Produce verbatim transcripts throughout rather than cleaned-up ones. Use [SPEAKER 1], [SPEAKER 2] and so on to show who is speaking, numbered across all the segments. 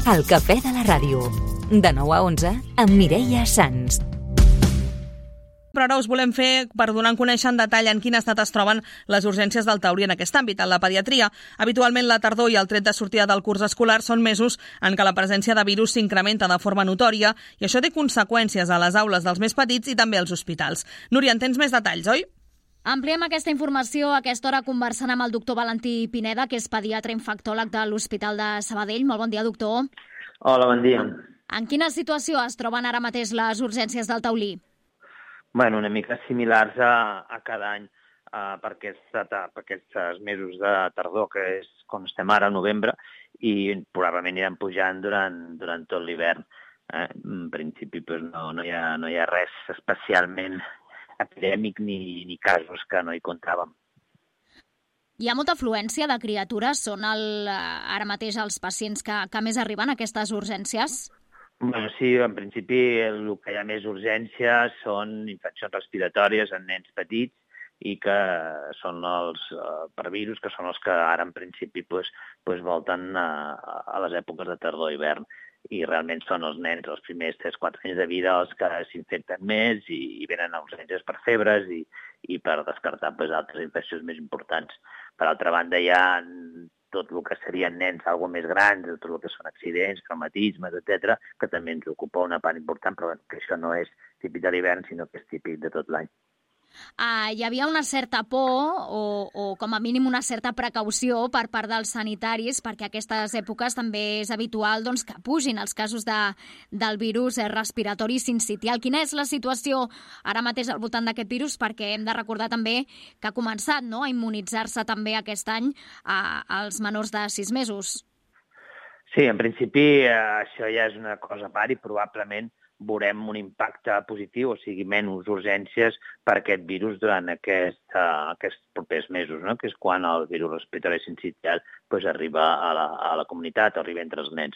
[SPEAKER 1] El cafè de la ràdio. De nou a onze, amb Mireia Sans.
[SPEAKER 2] Però ara us volem fer per donar a conèixer en detall en quin estat es troben les urgències del Taurí en aquest àmbit, en la pediatria. Habitualment la tardor i el tret de sortida del curs escolar són mesos en què la presència de virus s'incrementa de forma notòria i això té conseqüències a les aules dels més petits i també als hospitals. Núria, en tens més detalls, oi?
[SPEAKER 3] Ampliem aquesta informació a aquesta hora conversant amb el doctor Valentí Pineda, que és pediatre infectòleg de l'Hospital de Sabadell. Molt bon dia, doctor.
[SPEAKER 4] Hola, bon dia.
[SPEAKER 3] En quina situació es troben ara mateix les urgències del Taulí?
[SPEAKER 4] Bueno, una mica similars a, a cada any uh, per, aquesta, per aquests mesos de tardor, que és com estem ara, a novembre, i probablement aniran pujant durant, durant tot l'hivern. Eh? En principi pues, no, no, hi ha, no hi ha res especialment epidèmic ni, ni casos que no hi comptàvem.
[SPEAKER 3] Hi ha molta afluència de criatures? Són el, ara mateix els pacients que, que més arriben a aquestes urgències?
[SPEAKER 4] Bueno, sí, en principi el que hi ha més urgència són infeccions respiratòries en nens petits i que són els uh, per virus, que són els que ara en principi pues, pues volten a, a les èpoques de tardor i hivern. I realment són els nens, els primers tres quatre anys de vida, els que s'infecten més i, i venen a urgències per febres i, i per descartar pues, altres infeccions més importants. Per altra banda, hi ha tot el que serien nens algo més grans, tot el que són accidents, traumatismes, etcètera, que també ens ocupa una part important, però bueno, que això no és típic de l'hivern, sinó que és típic de tot l'any.
[SPEAKER 3] Uh, hi havia una certa por o, o com a mínim una certa precaució per part dels sanitaris perquè a aquestes èpoques també és habitual doncs, que pugin els casos de, del virus respiratori sincitial. Quina és la situació ara mateix al voltant d'aquest virus? Perquè hem de recordar també que ha començat no, a immunitzar-se també aquest any uh, als menors de sis mesos.
[SPEAKER 4] Sí, en principi uh, això ja és una cosa a part i probablement veurem un impacte positiu, o sigui, menys urgències per aquest virus durant aquest, uh, aquests propers mesos, no? Que és quan el virus respiratori sincitial pues, arriba a la, a la comunitat, arriba entre els nens.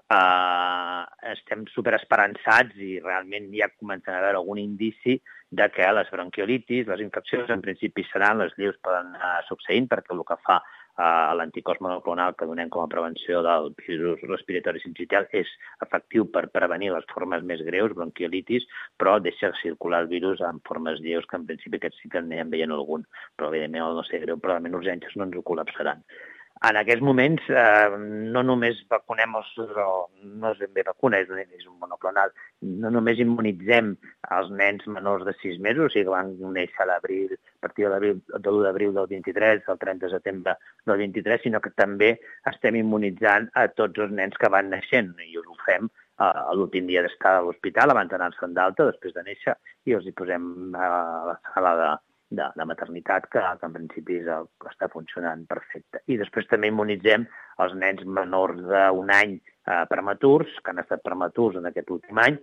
[SPEAKER 4] Uh, estem superesperançats i realment ja comencen a haver algun indici de que les bronquiolitis, les infeccions, en principi seran, les lleus poden anar succeint perquè el que fa Uh, l'anticòs monoclonal que donem com a prevenció del virus respiratori sincitial és efectiu per prevenir les formes més greus, bronquiolitis, però deixa circular el virus en formes lleus que en principi aquests sí que n'anem veient algun, però evidentment el no ser greu, però almenys urgències no ens ho col·lapsaran. En aquests moments eh, no només vacunem els, no és ben bé vacuna, és, és un monoclonal, no només immunitzem els nens menors de sis mesos, o sigui que van néixer a l'abril, a partir de l'u d'abril del vint-i-tres, del trenta de setembre del vint-i-tres, sinó que també estem immunitzant a tots els nens que van naixent i ho fem a l'últim dia d'estar a l'hospital, abans d'anar-se'n d'alta, després de néixer, i els hi posem a la sala de De, de maternitat, que, que en principi és el que està funcionant perfecte. I després també immunitzem els nens menors d'un any eh, prematurs, que han estat prematurs en aquest últim any,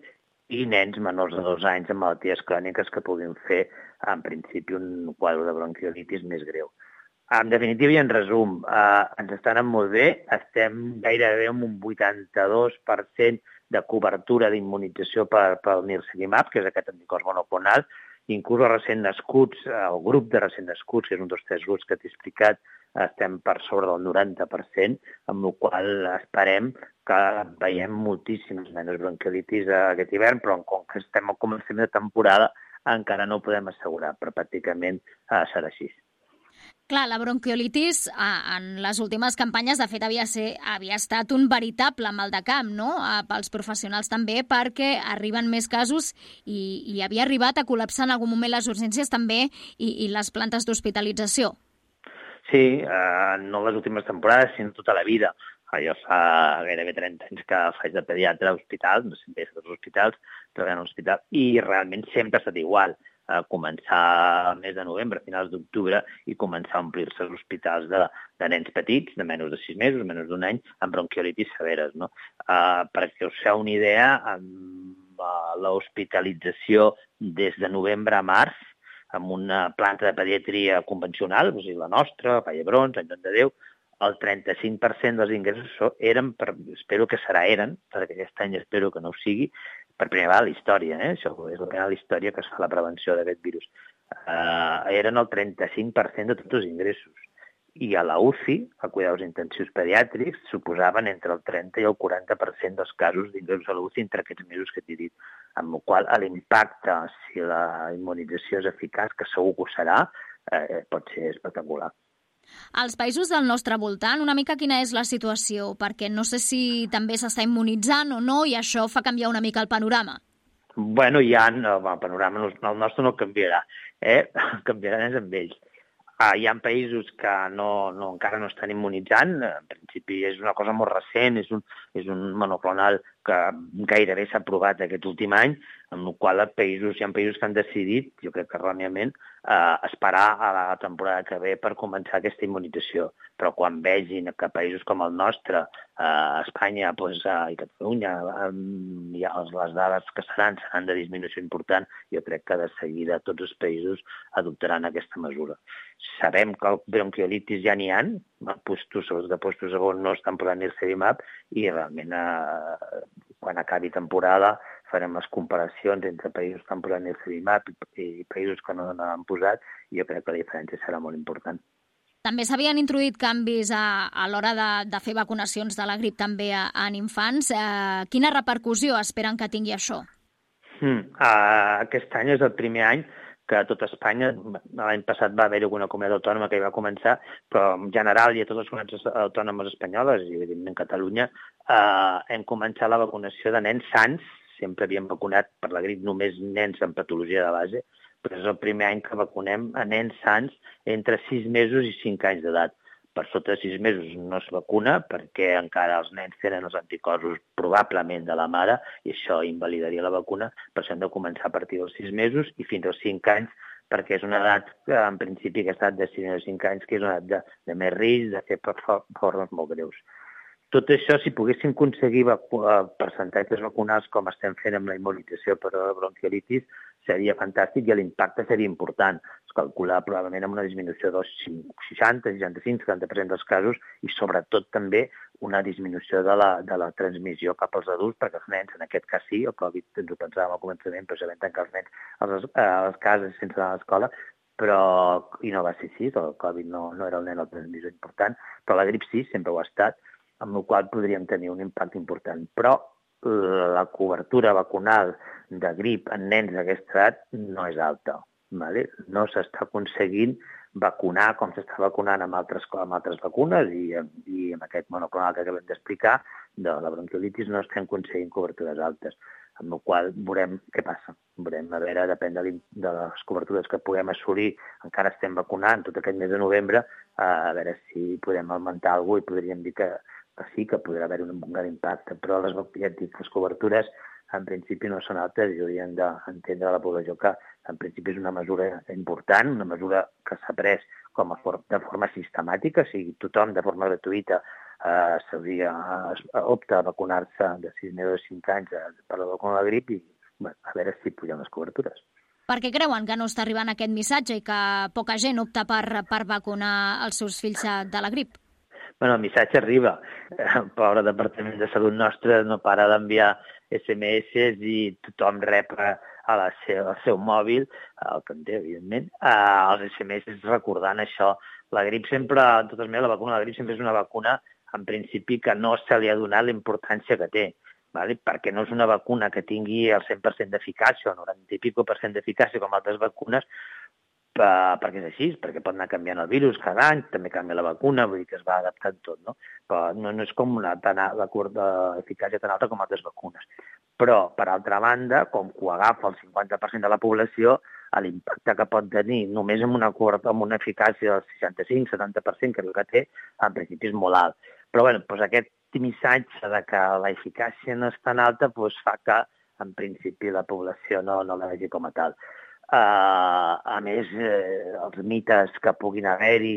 [SPEAKER 4] i nens menors de dos anys amb malalties cròniques que puguin fer, en principi, un quadre de bronquiolitis més greu. En definitiva i en resum, eh, ens està anant molt bé, estem gairebé amb un vuitanta-dos per cent de cobertura d'immunització per, pel nirsevimab, que és aquest anticòs monoclonal. Inclús els recent nascuts, el grup de recent nascuts, que és un dels tres grups que t'he explicat, estem per sobre del noranta per cent, amb el qual esperem que veiem moltíssimes menys bronquiolitis aquest hivern, però com que estem al començament de temporada encara no ho podem assegurar, però pràcticament eh, serà així.
[SPEAKER 3] Clar, la bronquiolitis en les últimes campanyes, de fet, havia, ser, havia estat un veritable mal de camp, no?, pels professionals també, perquè arriben més casos i, i havia arribat a col·lapsar en algun moment les urgències també i, i les plantes d'hospitalització.
[SPEAKER 4] Sí, eh, no les últimes temporades, sinó tota la vida. Jo fa gairebé trenta anys que faig de pediatre a hospitals, no sempre és als hospitals, treballant a l'hospital, i realment sempre ha estat igual. A començar al mes de novembre, a finals d'octubre, i començar a omplir-se els hospitals de, de nens petits, de menys de sis mesos, menys d'un any, amb bronquiolitis severes. No? Uh, perquè us feu una idea, amb uh, l'hospitalització des de novembre a març, amb una planta de pediatria convencional, o sigui, la nostra, Vall d'Hebron, Sant Joan de Déu, el trenta-cinc per cent dels ingressos eren, per, espero que serà eren, perquè aquest any espero que no ho sigui, per primera vegada a la història, eh? Això és la primera a la història que es fa la prevenció d'aquest virus. Uh, eren el trenta-cinc per cent de tots els ingressos. i a la U C I, a cuidados intensius pediàtrics, suposaven entre el trenta i el quaranta per cent dels casos d'ingressos a la U C I entre aquests mesos que t'he dit, amb el qual l'impacte, si la immunització és eficaç, que segur que ho serà, eh, pot ser espectacular.
[SPEAKER 3] Als països del nostre voltant, una mica quina és la situació? Perquè no sé si també s'està immunitzant o no i això fa canviar una mica el panorama.
[SPEAKER 4] Bueno, ja el panorama, el nostre no canviarà, eh? Canviarà més amb ells. Uh, hi ha països que no, no, encara no estan immunitzant, en principi és una cosa molt recent, és un, és un monoclonal que gairebé s'ha aprovat aquest últim any, amb el qual països, hi ha països que han decidit, jo crec que erròniament, eh, esperar a la temporada que ve per començar aquesta immunització. Però quan vegin que països com el nostre, eh, Espanya doncs, eh, i Catalunya, eh, ja les dades que seran seran de disminució important, jo crec que de seguida tots els països adoptaran aquesta mesura. Sabem que el bronquiolitis ja n'hi ha, postos, sobretot de postos on no estan posant nirsevimab, i realment eh, quan acabi temporada farem les comparacions entre països que han posat nirsevimab i països que no n'han posat, i jo crec que la diferència serà molt important.
[SPEAKER 3] També s'havien introduït canvis a, a l'hora de, de fer vacunacions de la grip també a, en infants. Eh, quina repercussió esperen que tingui això?
[SPEAKER 4] Hmm. Uh, aquest any és el primer any que a tot Espanya, l'any passat va haver-hi alguna comunitat autònoma que hi va començar, però en general i a totes les comunitats autònomes espanyoles, i evidentment Catalunya, eh, hem començat la vacunació de nens sans. Sempre havíem vacunat per la grip només nens amb patologia de base, però és el primer any que vacunem a nens sans entre sis mesos i cinc anys d'edat. Per sota de sis mesos no es vacuna perquè encara els nens tenen els anticorpos probablement de la mare i això invalidaria la vacuna, però s'han de començar a partir dels sis mesos i fins als cinc anys, perquè és una edat, en principi, aquesta edat de sis a cinc anys, que és una edat de, de més risc de fer formes molt greus. Tot això, si poguéssim aconseguir vacu- percentatges vacunals com estem fent amb la immunització per a la bronquiolitis, seria fantàstic i l'impacte seria important. Es calcula probablement amb una disminució del seixanta, seixanta-cinc, setanta per cent dels casos i sobretot també una disminució de la, de la transmissió cap als adults, perquè els nens, en aquest cas sí, el Covid ens ho pensàvem al començament, però sabem tancar els nens a les cases sense anar a l'escola, però, i no va ser així, el Covid no, no era el nen el transmissor important, però la grip sí, sempre ho ha estat, amb el qual podríem tenir un impacte important. Però la cobertura vacunal de grip en nens d'aquesta edat no és alta. Vale? No s'està aconseguint vacunar com s'està vacunant amb altres, amb altres vacunes i, i amb aquest monoclonal que acabem d'explicar de la bronquiolitis no estem aconseguint cobertures altes, amb el qual veurem què passa. Veurem, a veure, depèn de, de les cobertures que puguem assolir, encara estem vacunant tot aquest mes de novembre, a veure si podem augmentar alguna cosa i podríem dir que que sí que podrà haver un gran impacte, però les, ja et dic, les cobertures en principi no són altes i haurien d'entendre a la població que en principi és una mesura important, una mesura que s'ha pres com a for de forma sistemàtica, o sigui, tothom de forma gratuïta eh, s'hauria eh, opta a vacunar-se de sis mesos a cinc anys per la vacuna de la grip i bueno, a veure si pugen les cobertures.
[SPEAKER 3] Per què creuen que no està arribant aquest missatge i que poca gent opta per, per vacunar els seus fills de la grip?
[SPEAKER 4] Bueno, el missatge arriba. El pobre Departament de Salut nostre no para d'enviar esse eme esse i tothom rep a la seu, al seu mòbil, el que en té, evidentment, els esse eme esse recordant això. La grip sempre, en totes maneres, la vacuna de la grip sempre és una vacuna, en principi, que no se li ha donat la importància que té, vale? Perquè no és una vacuna que tingui el cent per cent d'eficàcia o noranta i pico per cent d'eficàcia com altres vacunes, perquè és així, perquè pot anar canviant el virus cada any, també canvia la vacuna, vull dir que es va adaptant tot, no? Però no, no és com una tan, la eficàcia tan alta com altres vacunes. Però, per altra banda, com que ho agafa el cinquanta per cent de la població, l'impacte que pot tenir només amb una, amb una eficàcia del seixanta-cinc setanta per cent, que és el que té, en principi és molt alt. Però bé, doncs aquest missatge de que la eficàcia no és tan alta doncs fa que, en principi, la població no, no la vegi com a tal. Uh, a més, eh, els mites que puguin haver-hi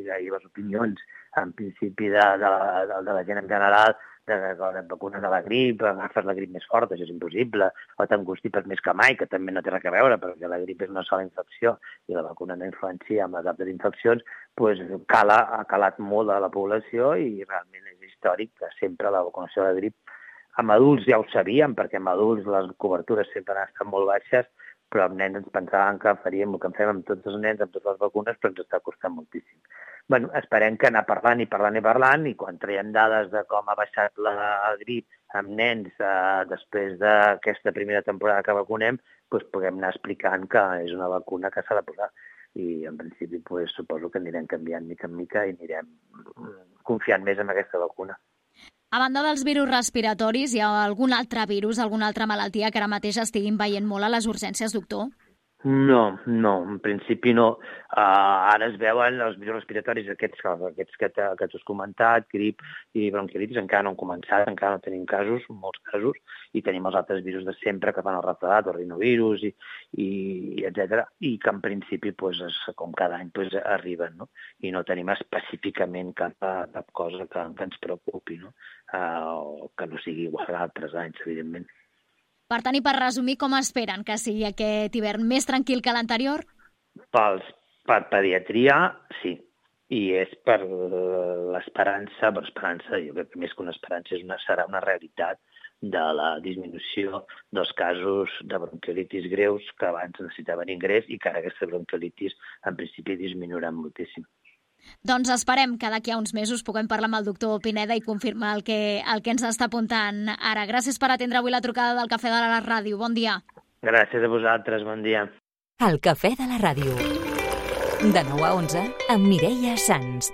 [SPEAKER 4] i les opinions, en principi, de, de, de, de la gent en general, de que la vacuna de la grip, agafes la grip més forta, això és impossible, o t'angustipes més que mai, que també no té res a veure, perquè la grip és una sola infecció i la vacuna no influencia amb les altres infeccions, doncs cala, ha calat molt a la població i realment és històric que sempre la vacunació de la grip, amb adults ja ho sabíem, perquè amb adults les cobertures sempre han estat molt baixes, però amb nens ens pensàvem que faríem el que en fem amb tots els nens, amb totes les vacunes, però ens està costant moltíssim. bueno, esperem que anar parlant i parlant i parlant, i quan traiem dades de com ha baixat la grip amb nens eh, després d'aquesta primera temporada que vacunem, doncs puguem anar explicant que és una vacuna que s'ha de posar. I en principi pues, suposo que anirem canviant mica en mica i anirem confiant més en aquesta vacuna.
[SPEAKER 3] A banda dels virus respiratoris, hi ha algun altre virus, alguna altra malaltia que ara mateix estiguin veient molt a les urgències, doctor?
[SPEAKER 4] No, no, en principi no. Uh, ara es veuen els virus respiratoris, aquests, aquests que, que t'has comentat, grip i bronquiolitis, encara no han començat, encara no tenim casos, molts casos, i tenim els altres virus de sempre que fan el refredat, el rinovirus, i, i etcètera, i que en principi, pues, es, com cada any, pues, arriben, no? I no tenim específicament cap, cap cosa que, que ens preocupi, no? Uh, que no sigui igual a altres anys, evidentment.
[SPEAKER 3] Per tant, i per resumir, com esperen que sigui aquest hivern més tranquil que l'anterior?
[SPEAKER 4] Pels, per pediatria, sí. I és per l'esperança, per esperança, jo crec que més que una esperança és una, serà una realitat de la disminució dels casos de bronquiolitis greus que abans necessitaven ingrés i que ara aquesta bronquiolitis en principi disminuirà moltíssim.
[SPEAKER 3] Doncs esperem que d'aquí a uns mesos puguem parlar amb el doctor Pineda i confirmar el que, el que ens està apuntant ara. Gràcies per atendre avui la trucada del Cafè de la Ràdio. Bon dia.
[SPEAKER 4] Gràcies a vosaltres, bon dia.
[SPEAKER 1] El Cafè de la Ràdio. De nou a onze, amb Mireia Sans.